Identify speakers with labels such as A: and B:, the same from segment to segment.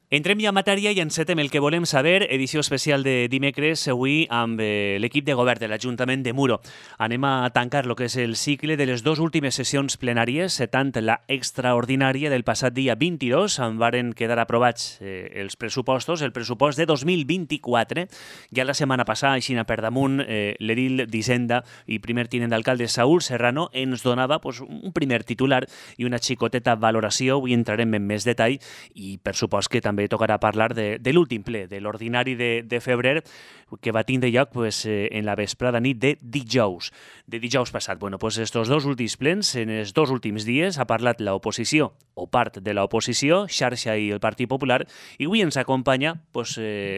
A: Entrem ja en matèria i encetem el que volem saber, edició especial de dimecres, avui amb l'equip de govern de l'Ajuntament de Muro. Anem a tancar el que és el cicle de les dues últimes sessions plenàries, tant la extraordinària del passat dia 22, on varen quedar aprovats els pressupostos, el pressupost de 2024. Ja la setmana passada, així per damunt, l'edil d'Hisenda i primer tinent d'alcalde Saúl Serrano ens donava un primer titular i una xicoteta valoració. Avui entrarem en més detall i per supost que també tocarà parlar de l'últim ple, de l'ordinari de febrer, que va tindre lloc en la vesprada nit de dijous passat. Estos dos últims plens, en els dos últims dies, ha parlat l'oposició, o part de l'oposició, Xarxa i el Partit Popular, i avui ens acompanya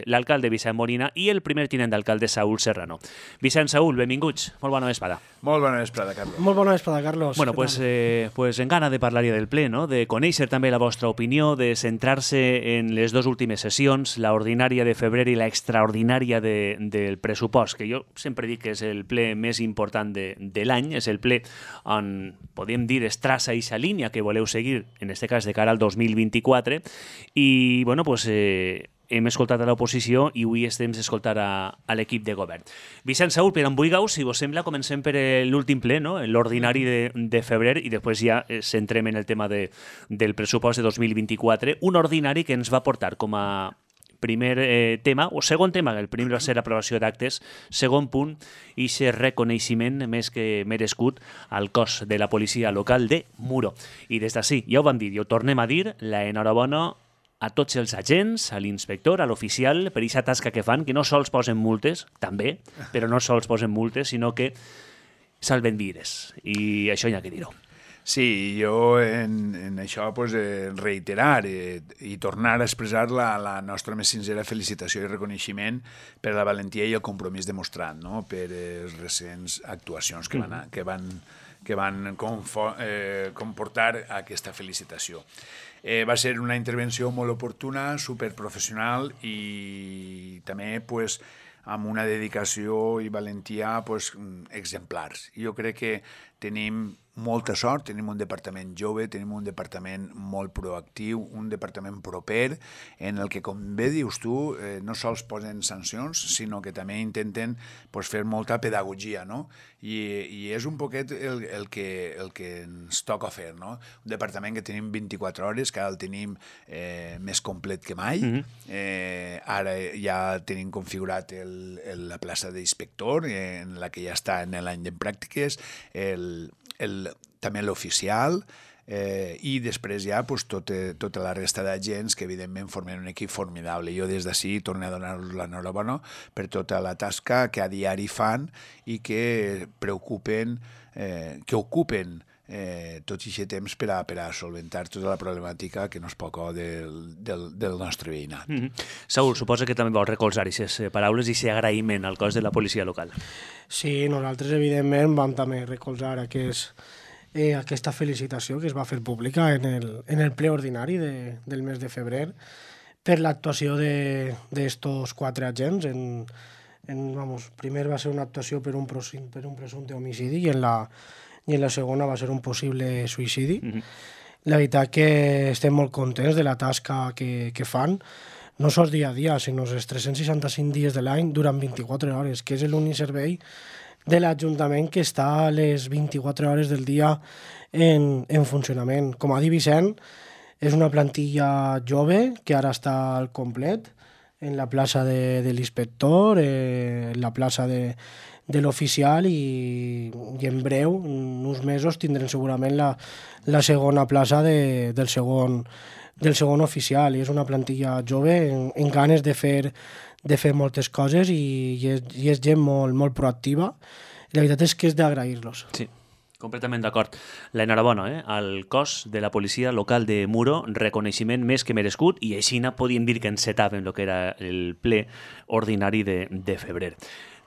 A: l'alcalde Vicent Molina i el primer tinent d'alcalde Saúl Serrano. Vicent, Saúl, benvinguts. Molt bona vesprada.
B: Molt bona vesprada, Carlos.
C: Molt bona vesprada, Carlos.
A: Bueno, en gana de parlar del ple, no? De conèixer també la vostra opinió, de centrar-se en les dues últimes sessions, l'ordinària de febrer i l'extraordinària del pressupost, que jo sempre dic que és el ple més important de l'any, és el ple on, podem dir, es traça aquesta línia que voleu seguir, en aquest cas de cara al 2024, i, hem escoltat a l'oposició i avui estem escoltant a l'equip de govern. Vicent, Saúl, per embuigau, si vos sembla, comencem per l'últim ple, no? L'ordinari de febrer, i després ja centrem en el tema del pressupost de 2024, un ordinari que ens va portar com a primer tema, o segon tema, el primer va ser l'aprovació d'actes, segon punt, i aquest reconeixement més que merescut al cos de la policia local de Muro. I des d'ací, ja ho vam dir, i ho tornem a dir, l'enhorabona a tots els agents, a l'inspector, a l'oficial, per aquesta tasca que fan, que no sols posen multes, també, però no sols posen multes, sinó que salven vides. I això hi ha que dir-ho.
B: Sí, jo en això reiterar i tornar a expressar la nostra més sincera felicitació i reconeixement per la valentia i el compromís demostrat, no? Per les recents actuacions que van comportar aquesta felicitació. Va ser una intervenció molt oportuna, superprofessional i també amb una dedicació i valentia exemplars. Jo crec que tenim molta sort, tenim un departament jove, tenim un departament molt proactiu, un departament proper, en el que, com bé dius tu, no sols posen sancions, sinó que també intenten fer molta pedagogia, no? I és un poquet el que ens toca fer, no? Un departament que tenim 24 hores, que ara el tenim més complet que mai. Ara ja tenim configurat la plaça d'inspector, en la que ja està en l'any de pràctiques, també l'oficial, i després ja tota la resta d'agents que evidentment formen un equip formidable. Jo des d'ací torno a donar-los l'enhorabona per tota la tasca que a diari fan i que ocupen tot aquest temps per a solventar tota la problemàtica que no és poca del nostre veïnat.
A: Saúl, suposa que també vols recolzar aquestes paraules i aquest agraïment al cos de la policia local.
C: Sí, nosaltres evidentment vam també recolzar aquesta felicitació que es va fer pública en el ple ordinari del mes de febrer per l'actuació d'estos 4 agents. Primer va ser una actuació per un presumpte homicidi i en la segona va ser un possible suïcidi. La veritat que estem molt contents de la tasca que fan, no sols dia a dia, sinó els 365 dies de l'any durant 24 hores, que és l'únic servei de l'Ajuntament que està a les 24 hores del dia en funcionament. Com ha dit Vicent, és una plantilla jove que ara està al complet en la plaça de l'inspector, en la plaça de l'oficial i en breu, en uns mesos, tindrem segurament la segona plaça del segon oficial, i és una plantilla jove en ganes de fer moltes coses i és gent molt proactiva. La veritat és que és d'agrair-los.
A: Sí, completament d'acord. L'enhorabona al cos de la policia local de Muro, reconeixement més que merescut, i així podíem dir que encetàvem el que era el ple ordinari de febrer.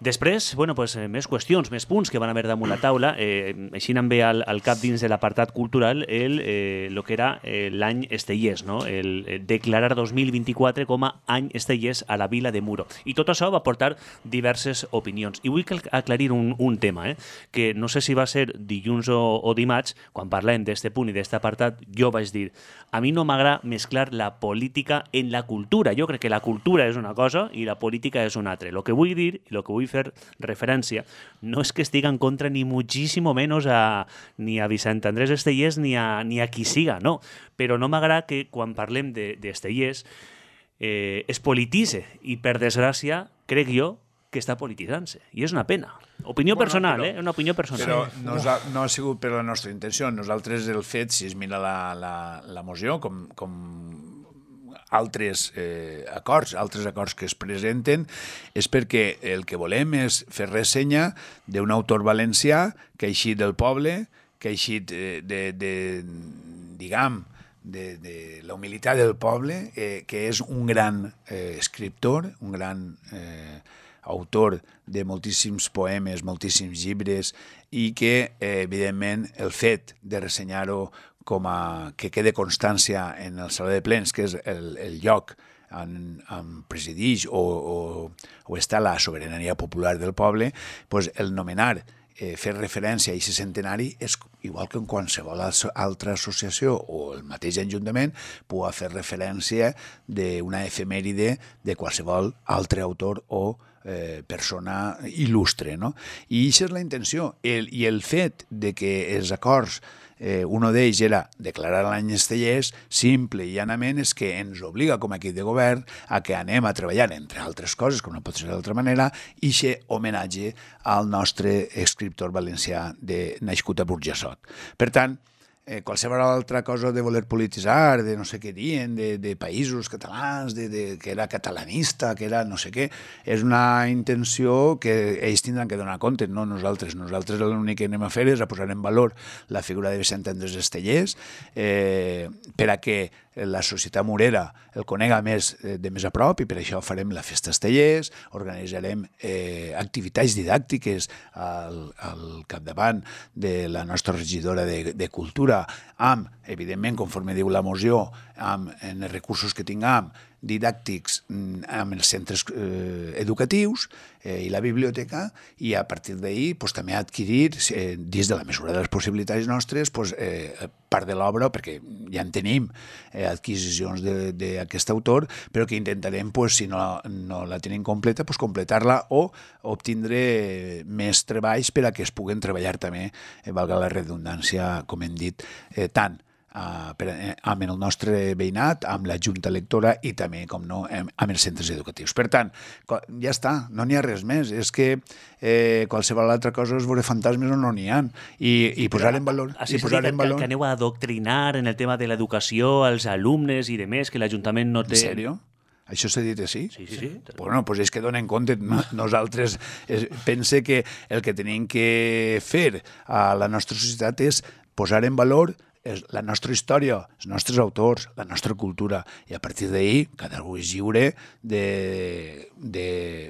A: Després, bueno, pues, més qüestions, més punts que van haver damunt la taula. Així em ve al cap dins de l'apartat cultural el que era l'any Estellers, no? El declarar 2024 com a any Estellers a la vila de Muro. I tot això va portar diverses opinions. I vull aclarir un tema, que no sé si va ser dilluns o dimarts, quan parlem d'este punt i d'este apartat, jo vaig dir, a mi no m'agrada mesclar la política en la cultura. Jo crec que la cultura és una cosa i la política és una altra. Lo que vull dir i lo que vull fer referència no és que estigui en contra ni muchísimo menos ni a Vicent Andrés Estellers ni a qui siga, no. Però no m'agrada que quan parlem d'Estellers es polititze i per desgràcia crec jo que està polititzant-se. I és una pena. Opinió personal, una opinió personal.
B: Però no ha sigut per la nostra intenció. Nosaltres el fet, si es mira la moció, com altres acords que es presenten, és perquè el que volem és fer ressenya d'un autor valencià que ha eixit del poble, que ha eixit de la humilitat del poble, que és un gran escriptor, un gran autor de moltíssims poemes, moltíssims llibres, i que, evidentment, el fet de ressenyar-ho com que quede constància en el Saló de Plens, que és el lloc on presideix o està la sobirania popular del poble, doncs el nomenar, fer referència a aquest centenari és igual que en qualsevol altra associació o el mateix ajuntament pugui fer referència d'una efemèride de qualsevol altre autor o persona il·lustre, no? I aquesta és la intenció. I el fet de que els acords un d'ells era declarar l'any Estellers, simple i llanament és que ens obliga com a equip de govern a que anem a treballar, entre altres coses, com no pot ser d'altra manera, i aquest homenatge al nostre escriptor valencià nascut a Burjassot. Per tant, qualsevol altra cosa de voler polititzar, de no sé què diuen, de països catalans, que era catalanista, que era no sé què, és una intenció que ells tindran que donar compte, no nosaltres. Nosaltres l'únic que anem a fer és a posar en valor la figura de Vicent Andrés Estellers per a que la societat murera el conega de més a prop, i per això farem la Festa Estellers, organitzarem activitats didàctiques al capdavant de la nostra regidora de Cultura, amb, evidentment, conforme diu la moció, amb els recursos que tinguem, didàctics amb els centres educatius i la biblioteca, i a partir d'ahir també adquirir, dins de la mesura de les possibilitats nostres, part de l'obra, perquè ja en tenim adquisicions d'aquest autor, però que intentarem, si no la tenim completa, completar-la o obtindre més treballs per a que es puguen treballar també, valga la redundància, com hem dit, tant amb el nostre veïnat, amb la Junta Electora i també, com no, amb els centres educatius. Per tant, ja està, no n'hi ha res més. És que qualsevol altra cosa és veure fantasmes o no n'hi ha. I posar en valor...
A: Que aneu a adoctrinar en el tema de l'educació als alumnes i demés, que l'Ajuntament no té...
B: En sèrio? Això s'ha dit així?
A: Sí.
B: Bueno, doncs és que donen compte. Nosaltres pense que el que tenim que fer a la nostra societat és posar en valor la nostra història, els nostres autors, la nostra cultura, i a partir d'ahir cada un és lliure de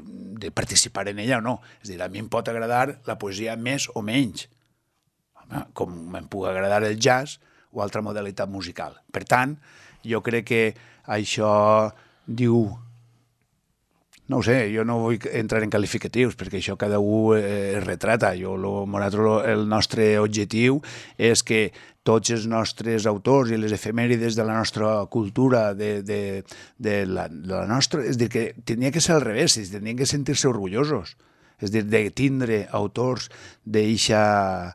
B: participar en ella o no. És a dir, a mi em pot agradar la poesia més o menys, com em pugui agradar el jazz o altra modalitat musical. Per tant, jo crec que això diu... No ho sé, jo no vull entrar en qualificatius, perquè això cada un es retrata. El nostre objectiu és que tots els nostres autors i les efemèrides de la nostra cultura, de la nostra... És a dir, que tenia que ser al revés, tenien que sentir-se orgullosos. És a dir, de tindre autors d'eixa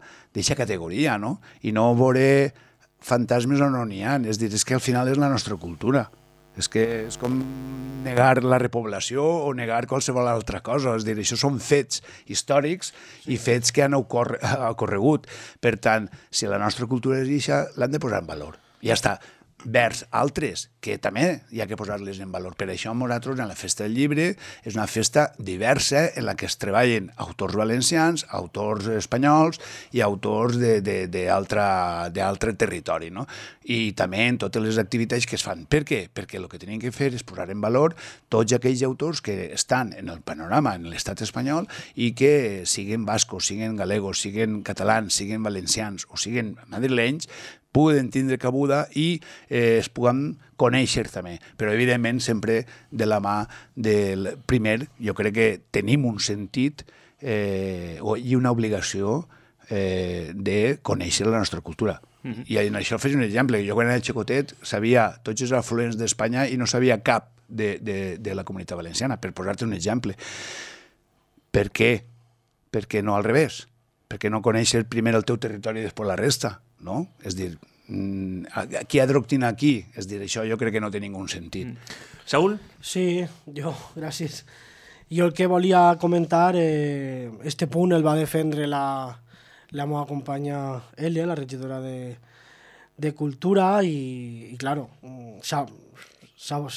B: categoria, no? I no veure fantasmes on no n'hi ha. És a dir, és que al final és la nostra cultura. És que és com negar la repoblació o negar qualsevol altra cosa. És a dir, això són fets històrics i fets que han ocorregut. Per tant, si la nostra cultura és això, l'han de posar en valor. Ja està. vers altres, que també hi ha que posar-les en valor. Per això nosaltres, en la Festa del Llibre, és una festa diversa en la que es treballen autors valencians, autors espanyols i autors d'altre territori, no? I també en totes les activitats que es fan. Per què? Perquè el que tenim que fer és posar en valor tots aquells autors que estan en el panorama en l'estat espanyol i que siguin bascos, siguin galegos, siguin catalans, siguin valencians o siguin madrilenys, puguen tindre cabuda i es puguen conèixer també. Però, evidentment, sempre de la mà del primer, jo crec que tenim un sentit i una obligació de conèixer la nostra cultura. I en això faig un exemple. Jo quan era xicotet sabia tots els afluents d'Espanya i no sabia cap de la Comunitat Valenciana, per posar-te un exemple. Per què? Per què no al revés? Per què no conèixer primer el teu territori i després la resta? No? És dir, qui adoctrina aquí? És dir, això jo crec que no té ningú sentit.
A: Saúl?
C: Sí, gràcies. Jo el que volia comentar, este punt el va defendre la meva companya Elia, la regidora de Cultura, i claro, s'ha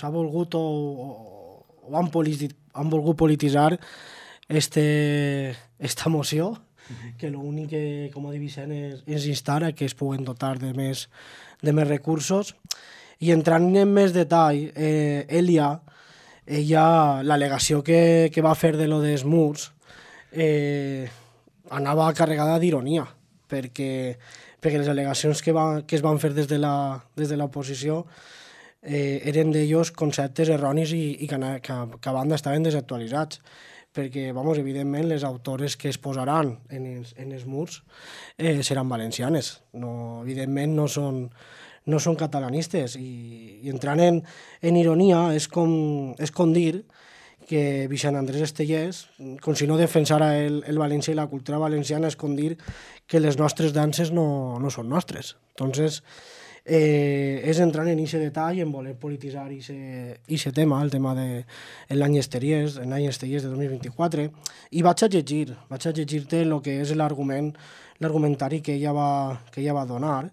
C: volgut o han volgut polititzar esta moció, que l'únic que, com ha dit Vicent, és instar a que es puguen dotar de més recursos. I entrant en més detall, ella, l'al·legació que va fer de lo dels murs, anava carregada d'ironia, perquè les al·legacions que es van fer des de l'oposició eren d'ells conceptes erronis i que a banda estaven desactualitzats, perquè, evidentment, les autores que es posaran en els murs seran valencianes. No, evidentment, no són catalanistes. I entrant en ironia, és com dir que Vicent Andrés Estellés, com si no defensara el valencià i la cultura valenciana, és com dir que les nostres danses no són nostres. Entonces, és entrar en aquest detall, en voler polititzar aquest tema, el tema de l'any Estellés de 2024, i vaig a llegir-te el que és l'argumentari que ella va donar.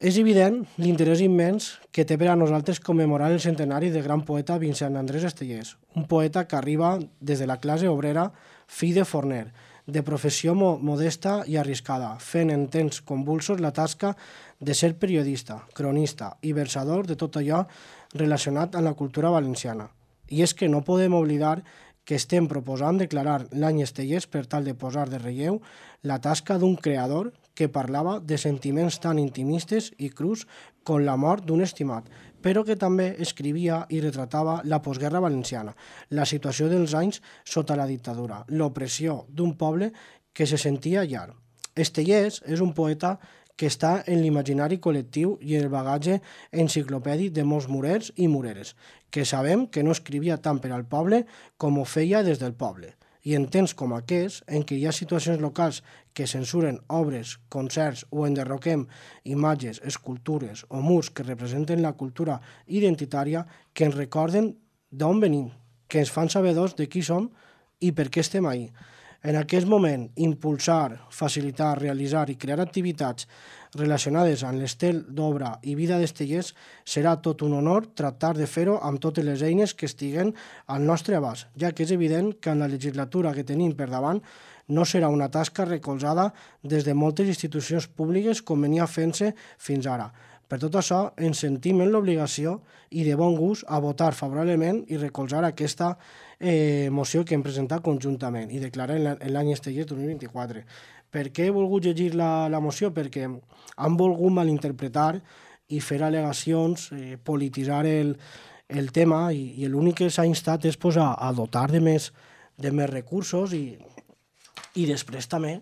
C: És evident l'interès immens que té per a nosaltres commemorar el centenari del gran poeta Vicent Andrés Estellés, un poeta que arriba des de la classe obrera, fill de forner, de professió modesta i arriscada, fent en temps convulsos la tasca de ser periodista, cronista i versador de tot allò relacionat amb la cultura valenciana. I és que no podem oblidar que estem proposant declarar l'any Estellés per tal de posar de relleu la tasca d'un creador que parlava de sentiments tan intimistes i crus com la mort d'un estimat, però que també escrivia i retratava la postguerra valenciana, la situació dels anys sota la dictadura, l'opressió d'un poble que se sentia llar. Estellés és un poeta que està en l'imaginari col·lectiu i el bagatge enciclopèdic de molts murers i mureres, que sabem que no escrivia tant per al poble com ho feia des del poble. I en temps com aquests, en què hi ha situacions locals que censuren obres, concerts o enderroquem imatges, escultures o murs que representen la cultura identitària, que ens recorden d'on venim, que ens fan sabedors de qui som i per què estem ahí. En aquest moment, impulsar, facilitar, realitzar i crear activitats relacionades amb l'estel d'obra i vida d'Estellés serà tot un honor tractar de fer-ho amb totes les eines que estiguen al nostre abast, ja que és evident que en la legislatura que tenim per davant no serà una tasca recolzada des de moltes institucions públiques com venia fent-se fins ara. Per tot això, ens sentim en l'obligació i de bon gust a votar favorablement i recolzar aquesta moció que hem presentat conjuntament i declarar l'any Estellés 2024. Per què he volgut llegir la moció? Perquè han volgut malinterpretar i fer al·legacions, polititzar el tema i l'únic que s'ha instat és a dotar de més recursos i després també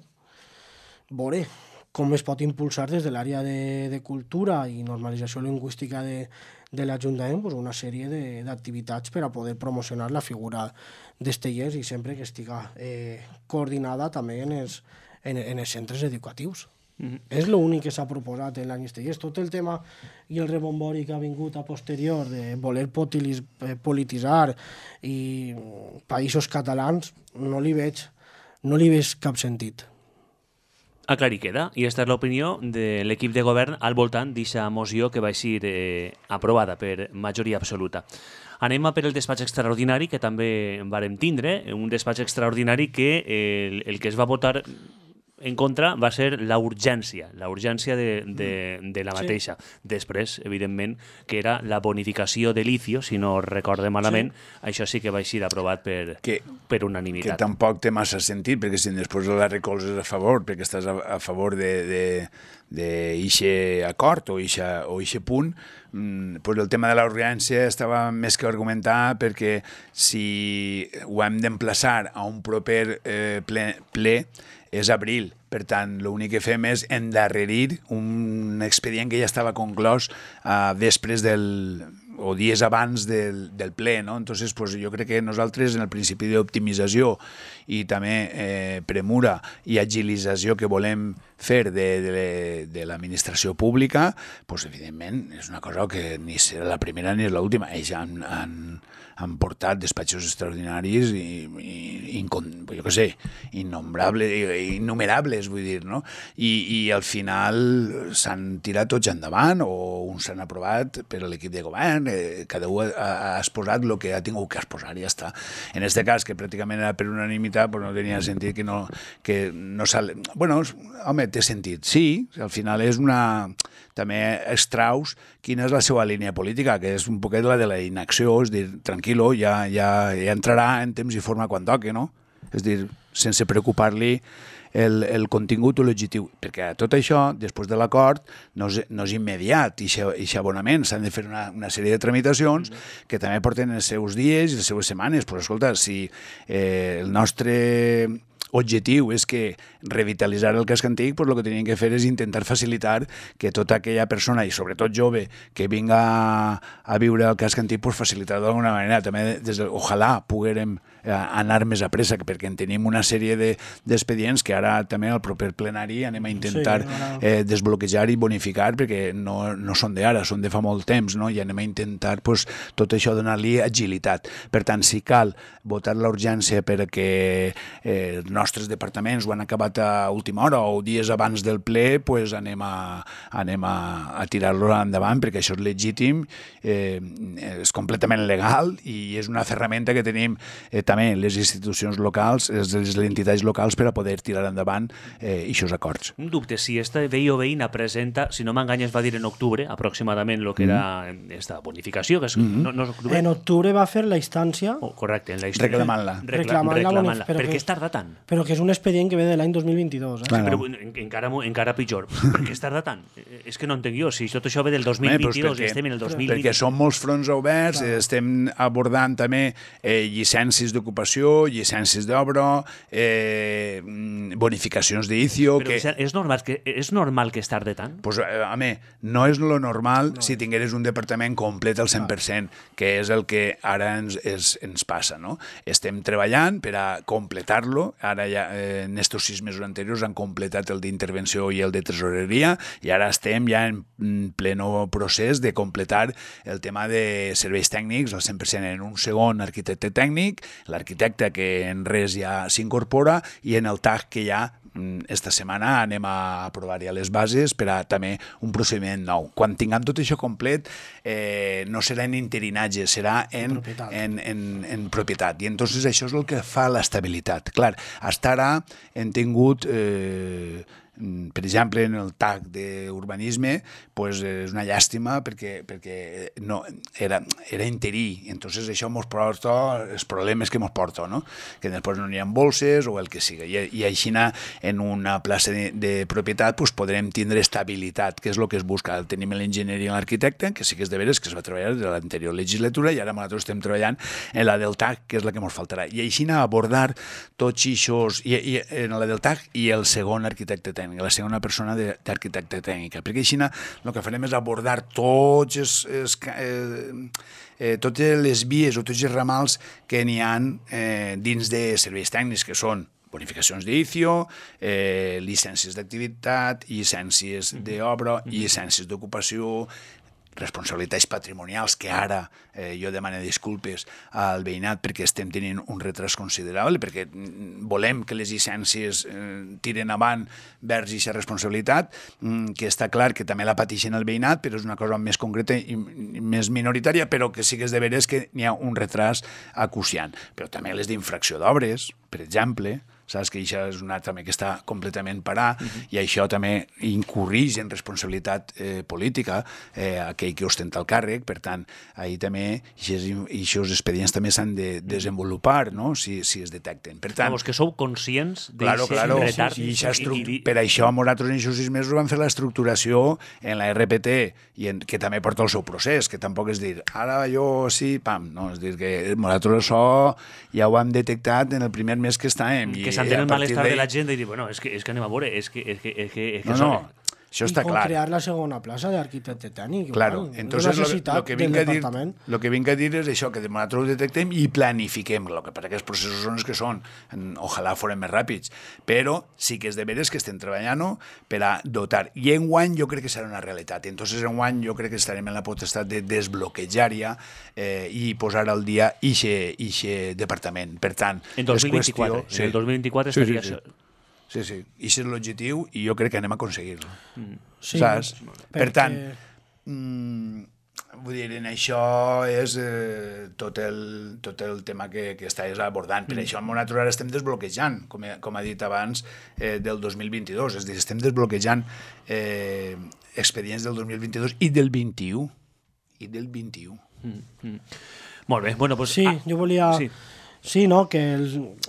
C: veure com es pot impulsar des de l'àrea de cultura i normalització lingüística de l'Ajuntament una sèrie d'activitats per a poder promocionar la figura d'Estellés i sempre que estiga coordinada també en els centres educatius. És l'únic que s'ha proposat en l'any Estellés. Tot el tema i el rebombori que ha vingut a posterior de voler polititzar i països catalans no li veig cap sentit.
A: Aclarir queda, i aquesta és l'opinió de l'equip de govern al voltant d'aquesta moció que va ser aprovada per majoria absoluta. Anem a per el despatx extraordinari, que també vàrem tindre, un despatx extraordinari que el que es va votar en contra va ser la urgència de la mateixa. Després, evidentment, que era la bonificació de l'ICIO, si no recorde malament, això sí que va ser aprovat per unanimitat.
B: Que tampoc té massa sentit, perquè si després la recolzes a favor, perquè estàs a favor d'eixe acord o eixe punt, pues el tema de la urgència estava més que argumentar, perquè si ho hem d'emplaçar a un proper ple és abril. Per tant, l'únic que fem és endarrerir un expedient que ja estava conclòs després o dies abans del ple, no? Entonces, pues, jo crec que nosaltres, en el principi d'optimització i també premura i agilització que volem fer de l'administració pública, pues, evidentment, és una cosa que ni serà la primera ni és l'última. Ells han portat despatxos extraordinaris i jo què sé, innumerables, vull dir, no? I al final s'han tirat tots endavant, o uns s'han aprovat per l'equip de govern, cada un ha exposat el que ha tingut que exposar i ja està. En aquest cas, que pràcticament era per unanimitat, pues no tenia sentit que no sale. Bueno, home, té sentit, sí, al final és també extraus quina és la seva línia política, que és un poquet la de la inacció, és dir, tranquil·lo, ja entrarà en temps i forma quan toqui, no? És dir, sense preocupar-li el contingut o l'objectiu, perquè tot això, després de l'acord, no és immediat, i aquest abonament s'han de fer una sèrie de tramitacions que també porten els seus dies i les seves setmanes. Però escolta, si el nostre objectiu és que revitalitzar el casc antic, pues el que tenien que fer és intentar facilitar que tota aquella persona, i sobretot jove, que vinga a viure al casc antic, pues facilitar d'alguna manera. També, ojalà poguérem anar més a pressa, perquè en tenim una sèrie d'expedients que ara també al proper plenari anem a intentar desbloquejar i bonificar, perquè no són d'ara, són de fa molt temps, no? I anem a intentar pues, tot això donar-li agilitat. Per tant, si cal votar la urgència perquè els nostres departaments ho han acabat a última hora o dies abans del ple, pues anem a tirar-lo endavant, perquè això és legítim, és completament legal i és una ferramenta que tenim també les institucions locals, les entitats locals, per a poder tirar endavant aquests acords.
A: Un dubte, si esta veí o veïna presenta, si no m'enganyes va dir en octubre, aproximadament, el que era esta bonificació, que és, no és octubre?
C: En octubre va fer la instància...
A: Correcte, en la història.
C: Reclamant-la.
A: Per què es tarda tant?
C: Però que és un expedient que ve de l'any 2022.
A: Però encara pitjor. Per què es tarda tant? És que no entenc jo, si tot això ve del 2022 i estem en el 2020...
B: Perquè són molts fronts oberts, estem abordant també llicències d'ocupació, llicències d'obra, bonificacions d'ICIO...
A: Però és normal que es tarde tant?
B: Pues, home, no és lo normal si tingueres un departament complet al 100%, que és el que ara ens passa, no? Estem treballant per a completar-lo. Ara ja, en estos 6 mesos anteriors han completat el d'intervenció i el de tresoreria, i ara estem ja en pleno procés de completar el tema de serveis tècnics al 100%, en un segon arquitecte tècnic, l'arquitecte que en res ja s'incorpora, i en el TAC que ja esta setmana anem a aprovar ja les bases per a també un procediment nou. Quan tinguem tot això complet, no serà en interinatge, serà en propietat. I entonces això és el que fa l'estabilitat. Clar, fins ara hem tingut... per exemple, en el TAC d'urbanisme, pues, és una llàstima perquè no, era interí. Entonces això ens porta els problemes que ens porta, no? Que després no n'hi ha bolses o el que sigui. I així en una plaça de propietat pues, podrem tindre estabilitat, que és el que es busca. Tenim l'enginyeria i l'arquitecte, que sí que és de veres que es va treballar de l'anterior legislatura, i ara nosaltres estem treballant en la del TAC, que és la que ens faltarà. I així abordar tots aquests, i en la del TAC i el segon arquitecte tècnic, la segona persona d'arquitecte tècnica, perquè així el que farem és abordar totes les vies o tots els ramals que n'hi ha dins de serveis tècnics, que són bonificacions d'ICIO, llicències d'activitat, llicències d'obra, llicències d'ocupació, responsabilitats patrimonials, que ara jo demano disculpes al veïnat perquè estem tenint un retras considerable, perquè volem que les llicències tiren avant vers aquesta responsabilitat, que està clar que també la pateixen el veïnat, però és una cosa més concreta i més minoritària, però que sí que és de veres que n'hi ha un retras acuciant. Però també les d'infracció d'obres, per exemple, saps que això és una també que està completament parat i això també incurrix en responsabilitat política aquell que ostenta el càrrec, per tant, ahir també aquests expedients també s'han de desenvolupar, no?, si es detecten. Per tant,
A: Vamos, que sou conscients
B: d'aquest
A: retard.
B: Per això nosaltres en aquests 6 mesos vam fer l'estructuració en la RPT, que també porta el seu procés, que tampoc és dir, ara jo sí, pam, no, és dir que nosaltres això ja ho hem detectat en el primer mes que estàvem.
A: Que s'entén el malestar de la gent i dir, bueno, és que anem a veure, és que
B: no, això està clar.
C: I con crear la segona plaça d'arquitecte tècnic.
B: Claro, entonces lo que vinc a dir és això, que nosaltres ho detectem i planifiquem, el que passa que els processos són els que són, ojalà foren més ràpids, però sí que és de veres que estem treballant per a dotar, i enguany jo crec que serà una realitat, entonces enguany jo crec que estarem en la potestat de desbloquejar ja i posar al dia ixe departament. Per tant,
A: en 2024, en el 2024 estaria això.
B: Sí, i és l'objectiu i jo crec que anem a aconseguir-lo.
C: Sí,
B: saps? Per tant, vull dir, en això és tot el tema que estàs abordant. Per això nosaltres ara estem desbloquejant, com ha dit abans, del 2022. És a dir, estem desbloquejant expedients del 2022 i del 21.
A: Molt bé, bueno, pues...
C: Sí, jo volia... Sí, no, que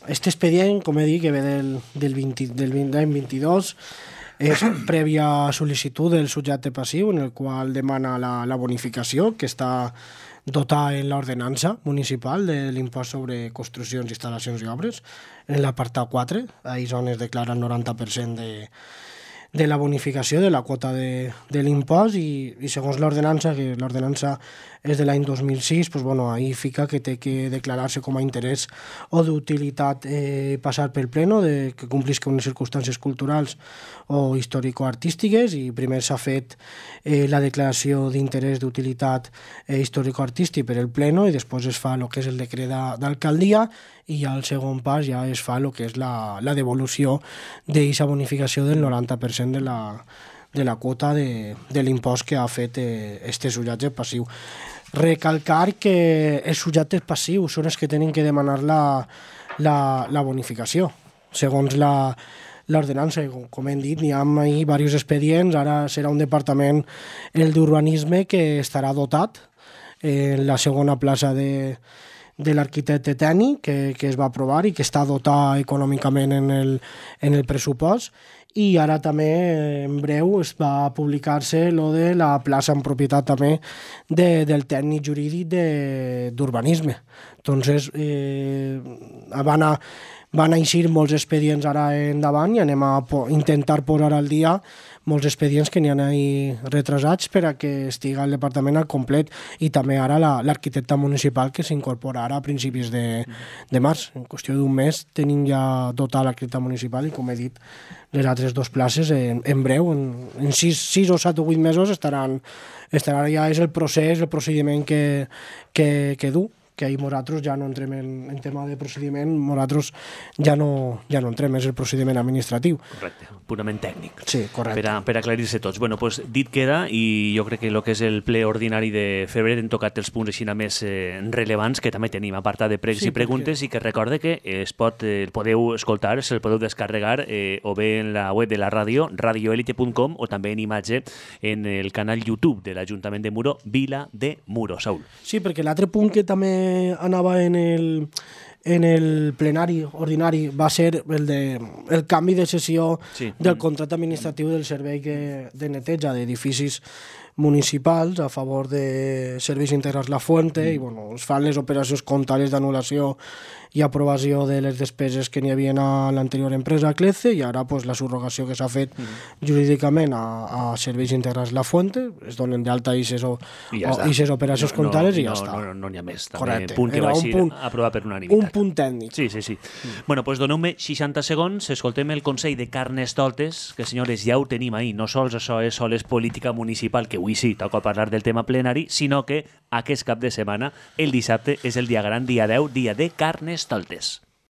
C: este expedient, com he dit, que ve del 22, és prèvia sol·licitud del subjecte passiu, en el qual demana la bonificació, que està dotada en l'ordenança municipal de l'impost sobre construccions, instal·lacions i obres, en l'apartat 4, ahí on es declara el 90% de la bonificació de la quota de l'impost i segons l'ordenança, que l'ordenança és de l'any 2006, pues bueno, ahí fica que té que declarar-se com a interès o d'utilitat passar pel pleno, que complisca unes circumstàncies culturals o històrico-artístiques, i primer s'ha fet la declaració d'interès d'utilitat històrico-artístic per el pleno i després es fa el que és el decret d'alcaldia i ja el segon pas ja es fa el que és la devolució d'aquesta bonificació del 90% de la quota de l'impost que ha fet este subjecte passiu. Recalcar que els subjectes passius són els que tenen que demanar la bonificació. Segons l'ordenança, com hem dit, n'hi ha diversos expedients, ara serà un departament, el d'urbanisme, que estarà dotat en la segona plaça de l'arquitecte tècnic que es va aprovar i que està dotat econòmicament en el pressupost, i ara també en breu es va publicar-se lo de la plaça en propietat també del tècnic jurídic d'urbanisme. Entonces van eixir molts expedients ara endavant i anem a intentar posar al dia molts expedients que n'hi ha ahí retrasats per a que estiga el departament al complet, i també ara l'arquitecte municipal que s'incorpora ara a principis de març. En qüestió d'un mes tenim ja dotat l'arquitecte municipal i, com he dit, les altres 2 places en breu, en 6 o 7 o 8 mesos estarà ja, és el procediment que du, que ahir nosaltres ja no entrem en tema de procediment, nosaltres ja no entrem, és el procediment administratiu.
A: Correcte, purament tècnic.
C: Sí, correcte.
A: Per aclarir-se tots. Bueno, pues, dit queda, i jo crec que el que és el ple ordinari de febrer hem tocat els punts així més rellevants, que també tenim apartat de pregs i preguntes, i que recorde que el podeu escoltar, se'l podeu descarregar o bé en la web de la ràdio, radioelite.com, o també en imatge en el canal YouTube de l'Ajuntament de Muro, Vila de Muro. Saúl.
C: Sí, perquè l'altre punt que també anava en el plenari ordinari va ser el canvi de sessió del contracte administratiu del servei de neteja d'edificis municipals a favor de Serveis Integrals La Fuente, i bueno, es fan les operacions comptables d'anul·lació i aprovació de les despeses que n'hi havia a l'anterior empresa CLECE, i ara pues, la subrogació que s'ha fet jurídicament a Serveis Integrats La Fuente, es donen d'alta ixes operacions comptables i ja està.
A: No n'hi ha més.
C: Correcte.
A: Punt que va ser aprovat per unanimitat.
C: Un punt tècnic.
A: Sí. Bueno, pues doneu-me 60 segons, escoltem el Consell de Carnestoltes, que senyores, ja ho tenim ahí. No sols això és sols política municipal, que avui sí, toca parlar del tema plenari, sinó que aquest cap de setmana, el dissabte, és el dia gran, dia 10, dia de Carnestoltes.